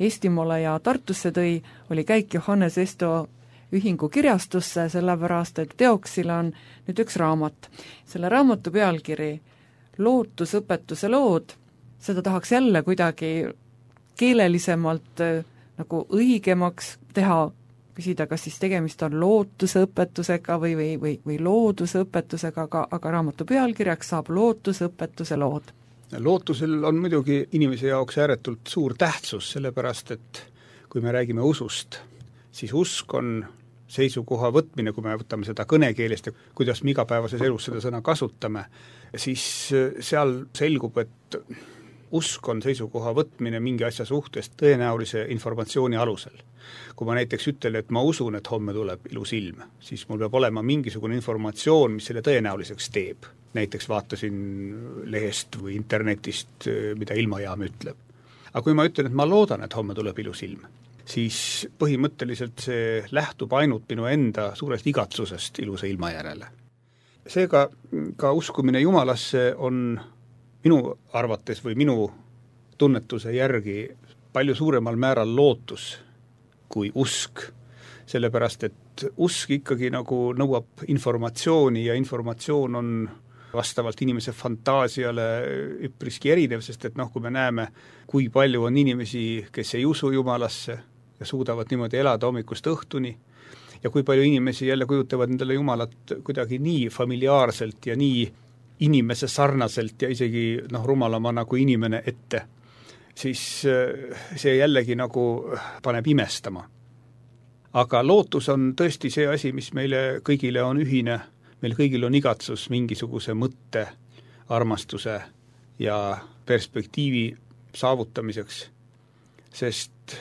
Eestimaale ja Tartusse tõi, oli käik Johannes Esto ühingu kirjastusse, sellepärast et teoksil on nüüd üks raamat. Selle raamatu pealkiri Lootusõpetuse lood, seda tahaks jälle kuidagi keelelisemalt nagu õigemaks teha, küsida, kas siis tegemist on lootusõpetusega või loodusõpetusega, aga raamatu pealkirjaks saab Lootusõpetuse lood. Lootusel on muidugi inimese jaoks ääretult suur tähtsus, sellepärast et kui me räägime usust, siis usk on seisukoha võtmine, kui me võtame seda kõnekeelest ja kuidas me igapäevases elus seda sõna kasutame, siis seal selgub, et usk on seisukoha võtmine mingi asja suhtes tõenäolise informatsiooni alusel. Kui ma näiteks ütlen, et ma usun, et homme tuleb ilus ilm, siis mul peab olema mingisugune informatsioon, mis selle tõenäoliseks teeb. Näiteks vaatasin lehest või internetist, mida ilmajaam ütleb. Aga kui ma ütlen, et ma loodan, et homme tuleb ilus ilm, siis põhimõtteliselt see lähtub ainult minu enda suurest igatsusest ilusa ilma järele. Seega ka uskumine Jumalasse on minu arvates või minu tunnetuse järgi palju suuremal määral lootus kui usk, sellepärast et usk ikkagi nagu nõuab informatsiooni ja informatsioon on vastavalt inimese fantaasiale üpriski erinev, sest et kui me näeme, kui palju on inimesi, kes ei usu Jumalasse ja suudavad niimoodi elada hommikust õhtuni, ja kui palju inimesi jälle kujutavad endale Jumalat kuidagi nii familiaarselt ja nii inimese sarnaselt ja isegi rumalama nagu inimene ette, siis see jällegi nagu paneb imestama. Aga lootus on tõesti see asi, mis meile kõigile on ühine, meil kõigil on igatsus mingisuguse mõtte, armastuse ja perspektiivi saavutamiseks, sest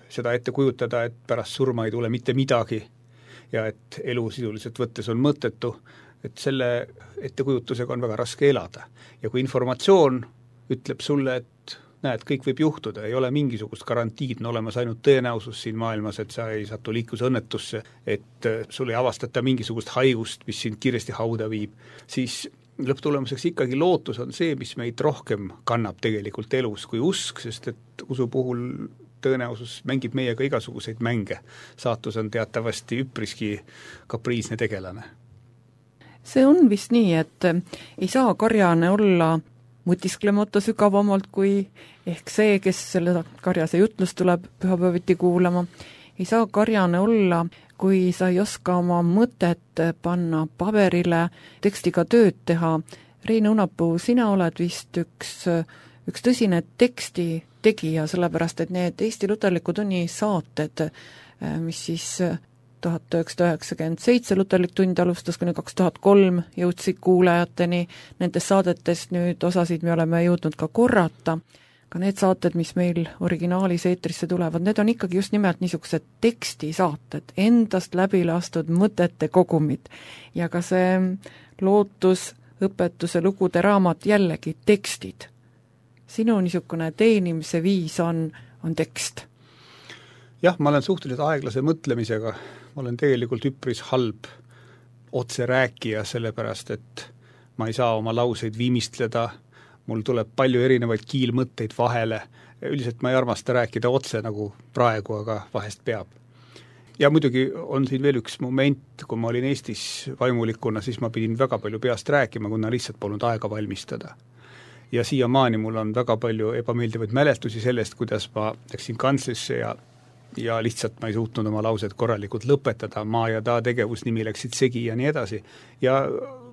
seda ette kujutada, et pärast surma ei tule mitte midagi ja et elu sisuliselt võttes on mõttetu, et selle ettekujutusega on väga raske elada. Ja kui informatsioon ütleb sulle, et näed, kõik võib juhtuda, ei ole mingisugust garantiid, on olemas ainult tõenäosus siin maailmas, et sa ei satu liiklusõnnetusse, et sul ei avastata mingisugust haigust, mis sind kiiresti hauda viib, siis lõpptulemuseks ikkagi lootus on see, mis meid rohkem kannab tegelikult elus kui usk, sest et usu puhul tõenäosus mängib meiega igasuguseid mänge. Saatus on teatavasti üpriski kapriisne tegelane. See on vist nii, et ei saa karjane olla mõtisklemata sügavamalt kui ehk see, kes selle karjase jutlust tuleb pühapäeviti kuulama. Ei saa karjane olla, kui sa ei oska oma mõtet panna paberile, tekstiga tööd teha. Rein Õunapuu, sina oled vist üks tõsine teksti tegija, sellepärast et need Eesti Luterliku tunni saated, mis siis 1997 Luterlik tund alustas, kuni 2003 jõudsid kuulajateni, nendest saadetest nüüd osasid me oleme jõudnud ka korrata, ka need saated, mis meil originaalis eetrisse tulevad, need on ikkagi just nimelt niisugused tekstisaated, endast läbi lastud mõtete kogumid ja ka see lootusõpetuse lugude raamat jällegi tekstid. Sinu niisugune teenimise viis on tekst. Jah, ma olen suhteliselt aeglase mõtlemisega, ma olen tegelikult üpris halb otse rääkija, sellepärast et ma ei saa oma lauseid viimistleda, mul tuleb palju erinevaid kiilmõtteid vahele, üldiselt ma ei armasta rääkida otse nagu praegu, aga vahest peab. Ja muidugi on siin veel üks moment, kui ma olin Eestis vaimulikuna, siis ma pidin väga palju peast rääkima, kuna lihtsalt polnud aega valmistada. Ja siiamaani mul on väga palju ebameeldivaid mälestusi sellest, kuidas ma läksin kantslisse ja lihtsalt ma ei suutnud oma lauset korralikult lõpetada, ma ja ta tegevusnimi läksid segi ja nii edasi. Ja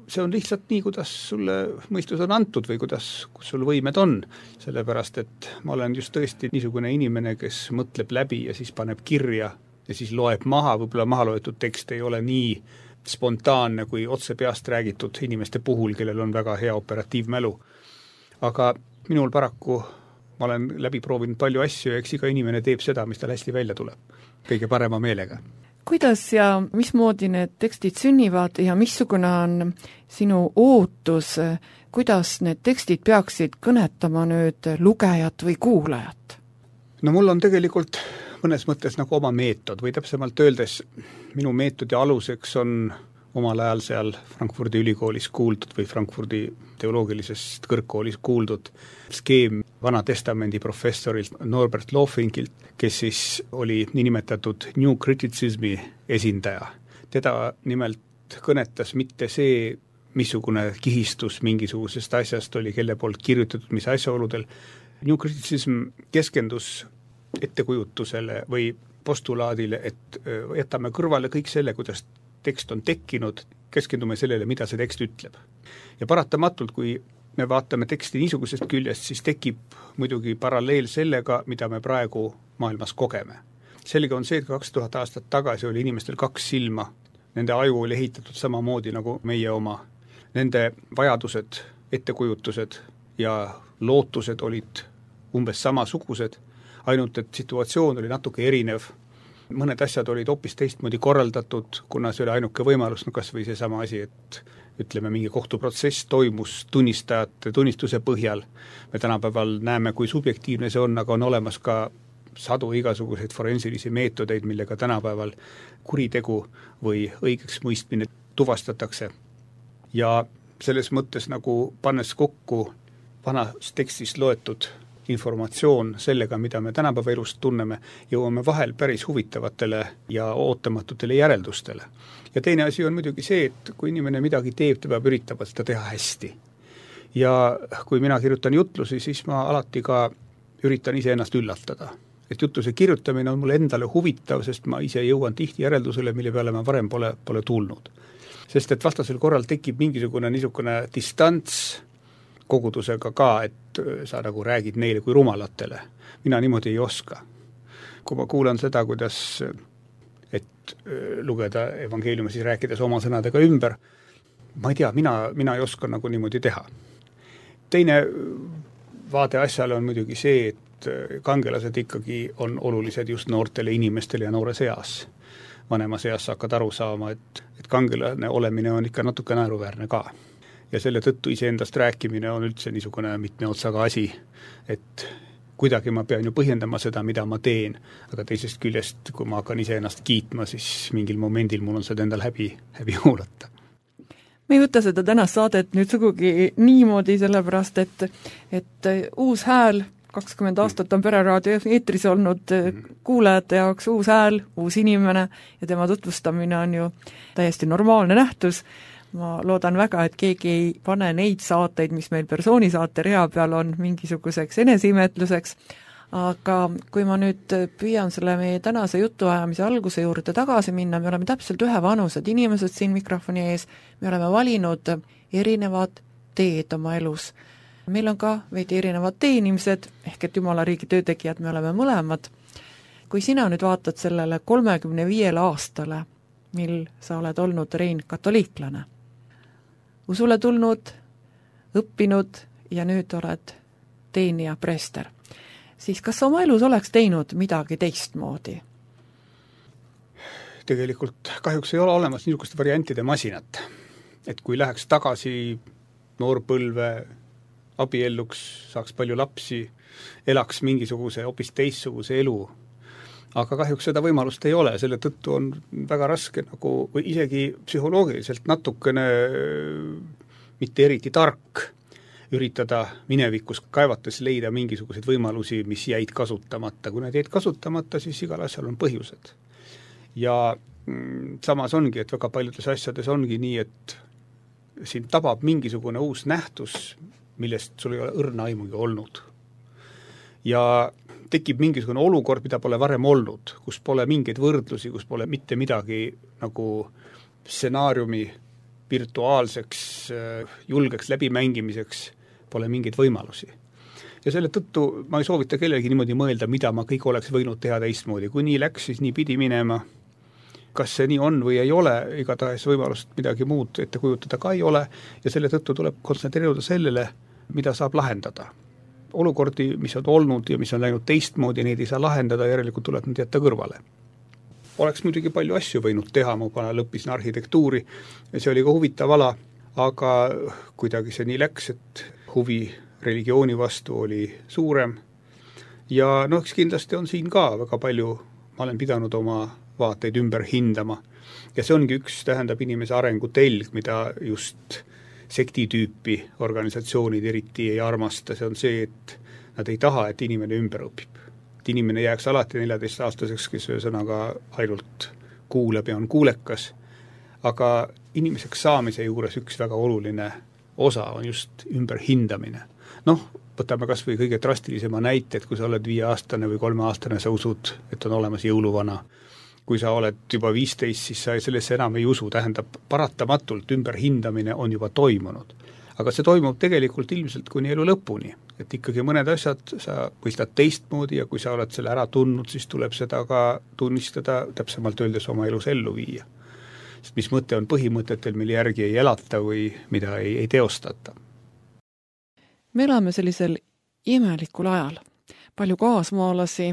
see on lihtsalt nii, kuidas sulle mõistus on antud või kus sul võimed on, sellepärast et ma olen just tõesti niisugune inimene, kes mõtleb läbi ja siis paneb kirja ja siis loeb maha, võib-olla maha loetud tekst ei ole nii spontaanne kui otse peast räägitud inimeste puhul, kellel on väga hea operatiivmälu. Aga minul paraku ma olen läbi proovinud palju asju ja eks iga inimene teeb seda, mis tal hästi välja tuleb, kõige parema meelega. kuidas ja mismoodi need tekstid sünnivad ja missugune on sinu ootus, kuidas need tekstid peaksid kõnetama nüüd lugejat või kuulajat? No mul on tegelikult mõnes mõttes nagu oma meetod või täpsemalt öeldes minu meetodi aluseks on omal ajal seal Frankfurdi ülikoolis kuuldud või Frankfurdi teoloogilisest kõrgkoolis kuuldud skeem Vana Testamendi professorilt Norbert Lofinkilt, kes siis oli niinimetatud New Criticismi esindaja. Teda nimelt kõnetas mitte see, missugune kihistus mingisugusest asjast oli, kelle poolt kirjutatud, mis asjaoludel. New Criticism keskendus ettekujutusele või postulaadile, et jätame kõrvale kõik selle, kuidas tekst on tekkinud, keskendume sellele, mida see tekst ütleb. Ja paratamatult, kui me vaatame teksti niisugusest küljest, siis tekib muidugi paralleel sellega, mida me praegu maailmas kogeme. Selge on see, et 2000 aastat tagasi oli inimestel 2 silma, nende aju oli ehitatud samamoodi nagu meie oma. Nende vajadused, ettekujutused ja lootused olid umbes samasugused, ainult et situatsioon oli natuke erinev. Mõned asjad olid hoopis teistmoodi korraldatud, kuna see oli ainuke võimalus, no kas või seesama asi, et ütleme, mingi kohtuprotsess toimus tunnistajate tunnistuse põhjal. Me tänapäeval näeme, kui subjektiivne see on, aga on olemas ka sadu igasuguseid forensilisi meetodeid, millega tänapäeval kuritegu või õigeks mõistmine tuvastatakse. Ja selles mõttes nagu pannes kokku vanas tekstis loetud informatsioon sellega, mida me tänapäeva elust tunneme, jõuame vahel päris huvitavatele ja ootamatutele järeldustele. Ja teine asi on muidugi see, et kui inimene midagi teeb, ta peab üritama seda teha hästi. Ja kui mina kirjutan jutlusi, siis ma alati ka üritan iseennast üllatada. Et jutluse kirjutamine on mulle endale huvitav, sest ma ise jõuan tihti järeldusele, mille peale ma varem pole tulnud. Sest et vastasel korral tekib mingisugune niisugune distants kogudusega ka, et sa nagu räägid neile kui rumalatele. Mina niimoodi ei oska. Kui ma kuulan seda, kuidas et lugeda evangeeliumi, siis rääkides oma sõnadega ümber, ma ei tea, mina ei oska nagu niimoodi teha. Teine vaade asjale on muidugi see, et kangelased ikkagi on olulised just noortele inimestele ja noores eas. Vanemas eas hakkad aru saama, et kangelane olemine on ikka natuke naeruväärne ka. Ja selle tõttu iseendast rääkimine on üldse niisugune mitme otsaga asi, et kuidagi ma pean ju põhjendama seda, mida ma teen, aga teisest küljest, kui ma hakkan iseennast kiitma, siis mingil momendil mul on seda endal häbi huulata. Me ei võta seda tänast saadet nüüd sugugi niimoodi, sellepärast, et uus hääl, 20 aastat on Pereraadio eetris olnud kuulajate jaoks uus hääl, uus inimene ja tema tutvustamine on ju täiesti normaalne nähtus. Ma loodan väga, et keegi ei pane neid saateid, mis meil persoonisaate rea peal on, mingisuguseks eneseimetluseks, aga kui ma nüüd püüan selle meie tänase jutuajamise alguse juurde tagasi minna, me oleme täpselt ühevanused inimesed siin mikrofoni ees, me oleme valinud erinevad teed oma elus. Meil on ka veidi erinevad teenimised, ehk et Jumala riigi töötegijad me oleme mõlemad. Kui sina nüüd vaatad sellele 35 aastale, mil sa oled olnud, Rein, katoliiklane, usule tulnud, õppinud ja nüüd oled teenija preester, siis kas oma elus oleks teinud midagi teistmoodi? Tegelikult kahjuks ei ole olemas niisuguste variantide masinat. Et kui läheks tagasi noorpõlve, abielluks, saaks palju lapsi, elaks mingisuguse hoopis teistsuguse elu, aga kahjuks seda võimalust ei ole, selle tõttu on väga raske nagu, või isegi psühholoogiliselt natukene mitte eriti tark üritada minevikus kaevates leida mingisuguseid võimalusi, mis jäid kasutamata. Kui need jäid kasutamata, siis igal asjal on põhjused. Ja samas ongi, et väga paljudes asjades ongi nii, et siin tabab mingisugune uus nähtus, millest sul ei ole õrna aimugi olnud. Ja tekib mingisugune olukord, mida pole varem olnud, kus pole mingeid võrdlusi, kus pole mitte midagi nagu stsenaariumi virtuaalseks, julgeks läbimängimiseks, pole mingeid võimalusi. Ja selle tõttu ma ei soovita kellelegi niimoodi mõelda, mida ma kõik oleks võinud teha teistmoodi. Kui nii läks, siis nii pidi minema. Kas see nii on või ei ole, igatahes võimalust midagi muud ette kujutada ka ei ole ja selle tõttu tuleb kontsentreeruda sellele, mida saab lahendada. Olukordi, mis on olnud ja mis on läinud teistmoodi, neid ei saa lahendada, järelikult tuleb need jätta kõrvale. oleks muidugi palju asju võinud teha, ma lõppisin arhitektuuri ja see oli ka huvitav ala, aga kuidagi see nii läks, et huvi religiooni vastu oli suurem ja eks kindlasti on siin ka väga palju, ma olen pidanud oma vaateid ümber hindama ja see ongi üks, tähendab inimese arengu telg, mida just sektitüüpi organisatsioonid eriti ei armasta, see on see, et nad ei taha, et inimene ümber õpib. Et inimene jääks alati 14-aastaseks, kes ühesõnaga ainult kuuleb ja on kuulekas, aga inimeseks saamise juures üks väga oluline osa on just ümberhindamine. Võtame kas või kõige drastilisema näite, et kui sa oled 5-aastane või 3-aastane, sa usud, et on olemas jõuluvana. Kui sa oled juba 15, siis sa sellesse enam ei usu, tähendab paratamatult ümberhindamine on juba toimunud. Aga see toimub tegelikult ilmselt kuni elu lõpuni, et ikkagi mõned asjad sa mõistad teistmoodi ja kui sa oled selle ära tundnud, siis tuleb seda ka tunnistada, täpsemalt öeldes oma elus ellu viia. Sest mis mõte on põhimõtetel, mille järgi ei elata või mida ei teostata. Me elame sellisel imelikul ajal. Palju kaasmaalasi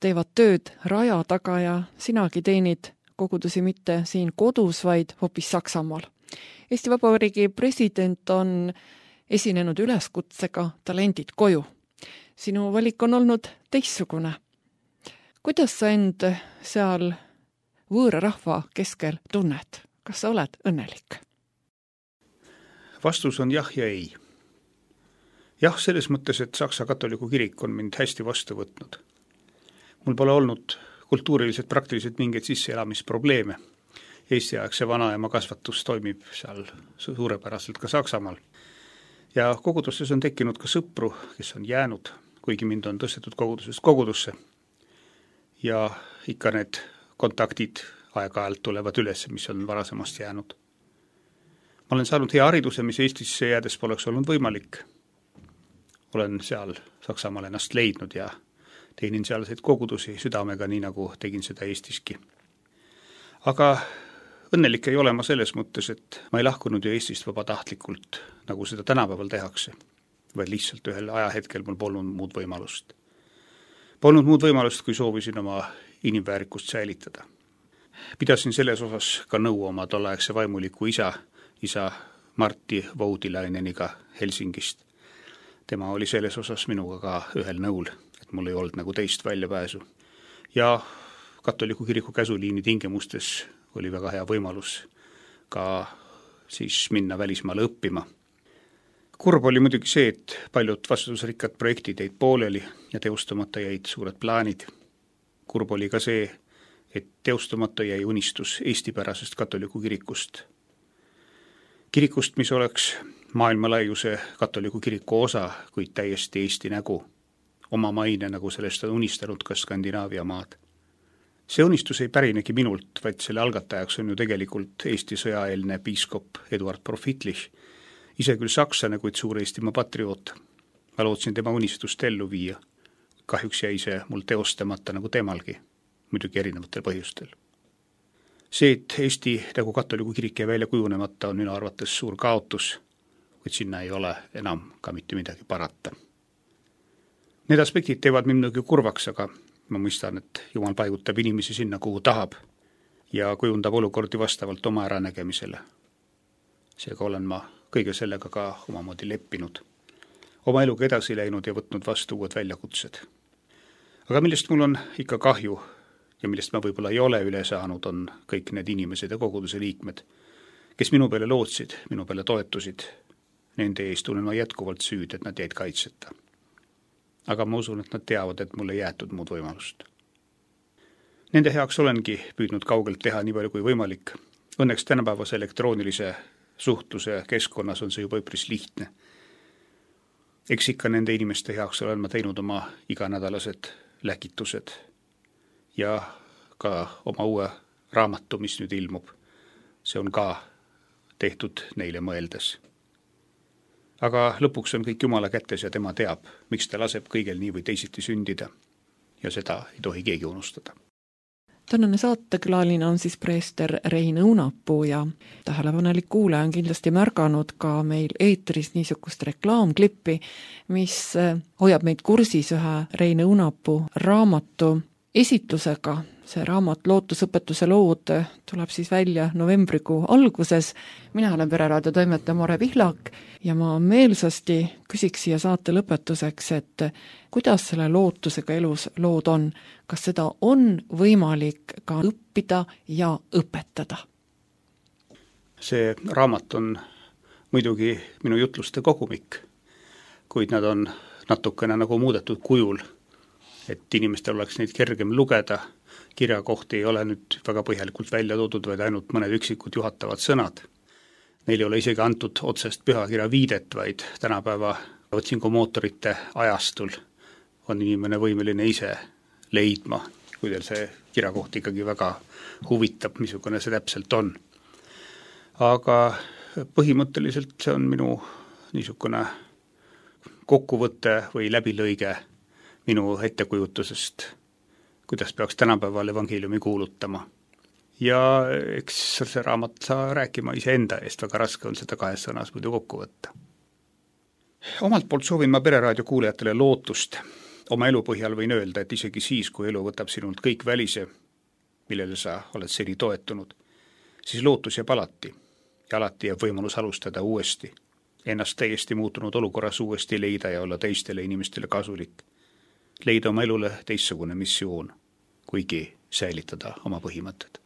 teevad tööd raja taga ja sinagi teenid kogudusi mitte siin kodus, vaid hoopis Saksamaal. Eesti Vabariigi president on esinenud üleskutsega talendid koju. Sinu valik on olnud teistsugune. Kuidas sa end seal võõra rahva keskel tunned? Kas sa oled õnnelik? Vastus on jah ja ei. Jah, selles mõttes, et Saksa katoliku kirik on mind hästi vastu võtnud. Mul pole olnud kultuuriliselt praktiliselt mingeid sisseelamisprobleeme. Eesti-aegse vanaema kasvatus toimib seal suurepäraselt ka Saksamaal. Ja kogudustes on tekkinud ka sõpru, kes on jäänud, kuigi mind on tõstetud kogudusest kogudusse. Ja ikka need kontaktid aeg-ajalt tulevad üles, mis on varasemast jäänud. Ma olen saanud hea hariduse, mis Eestisse jäädes poleks olnud võimalik. Olen seal Saksamaal ennast leidnud ja teenin sealseid kogudusi südamega, nii nagu tegin seda Eestiski. Aga õnnelik ei ole ma selles mõttes, et ma ei lahkunud ju Eestist vabatahtlikult, nagu seda tänapäeval tehakse, vaid lihtsalt ühel ajahetkel mul polnud muud võimalust. Polnud muud võimalust, kui soovisin oma inimväärikust säilitada. Pidasin selles osas ka nõu oma tolleaegse vaimuliku isa Martti Voudilaineniga Helsingist. Tema oli selles osas minuga ka ühel nõul, et mul ei olnud nagu teist väljapääsu. Ja katoliku kiriku käsuliini tingimustes oli väga hea võimalus ka siis minna välismaale õppima. Kurb oli muidugi see, et paljud vastutusrikkad projektid jäid pooleli ja teostamata jäid suured plaanid. Kurb oli ka see, et teostamata jäi unistus eestipärasest katoliku kirikust. Kirikust, mis oleks maailmalaiuse katoliku kiriku osa, kuid täiesti Eesti nägu. Oma maine, nagu sellest on unistanud ka Skandinaavia maad. See unistus ei pärinegi minult, vaid selle algatajaks on ju tegelikult Eesti sõjaeelne piiskop Eduard Profitlich, ise küll saksane, kuid suur Eestimaa patrioot. Ma lootsin tema unistust ellu viia. Kahjuks jäi see mul teostamata nagu temalgi, muidugi erinevatel põhjustel. See, et Eesti nagu katoliku kirik jäi välja kujunemata, on minu arvates suur kaotus, kuid sinna ei ole enam ka mitte midagi parata. Need aspektid teevad minugi kurvaks, aga ma mõistan, et Jumal paigutab inimesi sinna, kuhu tahab ja kujundab olukordi vastavalt oma äranägemisele. Seega olen ma kõige sellega ka omamoodi leppinud. Oma eluga edasi läinud ja võtnud vastu uued väljakutsed. Aga millest mul on ikka kahju ja millest ma võib-olla ei ole üle saanud, on kõik need inimesed ja koguduse liikmed, kes minu peale lootsid, minu peale toetusid. Nende eest tunnen ma jätkuvalt süüd, et nad jäid kaitseta. Aga ma usun, et nad teavad, et mulle jäetud muud võimalust. Nende heaks olengi püüdnud kaugelt teha nii palju kui võimalik. Õnneks tänapäevase elektroonilise suhtluse keskkonnas on see juba üpris lihtne. Eks ikka nende inimeste heaks olen ma teinud oma iganädalased läkitused ja ka oma uue raamatu, mis nüüd ilmub. See on ka tehtud neile mõeldes. Aga lõpuks on kõik Jumala kätes ja tema teab, miks ta laseb kõigel nii või teisiti sündida. Ja seda ei tohi keegi unustada. Tänane saatekülaline on siis preester Rein Õunapuu ja tähelepanelik kuulaja on kindlasti märganud ka meil eetris niisugust reklaamklippi, mis hoiab meid kursis ühe Rein Õunapuu raamatu esitlusega. see raamat Lootusõpetuse lood tuleb siis välja novembrikuu alguses. Mina olen Pereraadio toimetaja Mare Pihlak ja ma meelsasti küsiks siia saate lõpetuseks, et kuidas selle lootusega elus lood on? Kas seda on võimalik ka õppida ja õpetada? See raamat on muidugi minu jutluste kogumik, kuid nad on natukene nagu muudetud kujul, et inimestel oleks neid kergem lugeda. Kirjakohti ei ole nüüd väga põhjalikult välja toodud, vaid ainult mõned üksikud juhatavad sõnad. Neil ei ole isegi antud otsest pühakirja viidet, vaid tänapäeva otsingumootorite ajastul on inimene võimeline ise leidma, kui teil see kirjakoht ikkagi väga huvitab, missugune see täpselt on. Aga põhimõtteliselt see on minu niisugune kokkuvõte või läbilõige minu ettekujutusest, kuidas peaks tänapäeval evangeeliumi kuulutama. Ja eks see raamat saa rääkima iseenda eest, väga raske on seda 2 sõnas muidu kokku võtta. Omalt poolt soovin ma Pereraadio kuulajatele lootust. Oma elu põhjal võin öelda, et isegi siis, kui elu võtab sinult kõik välise, millele sa oled seni toetunud, siis lootus jääb alati ja alati jääb võimalus alustada uuesti, ennast täiesti muutunud olukorras uuesti leida ja olla teistele inimestele kasulik. Leida oma elule teistsugune missioon, kuigi säilitada oma põhimõtted.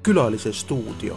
Külalise stuudio.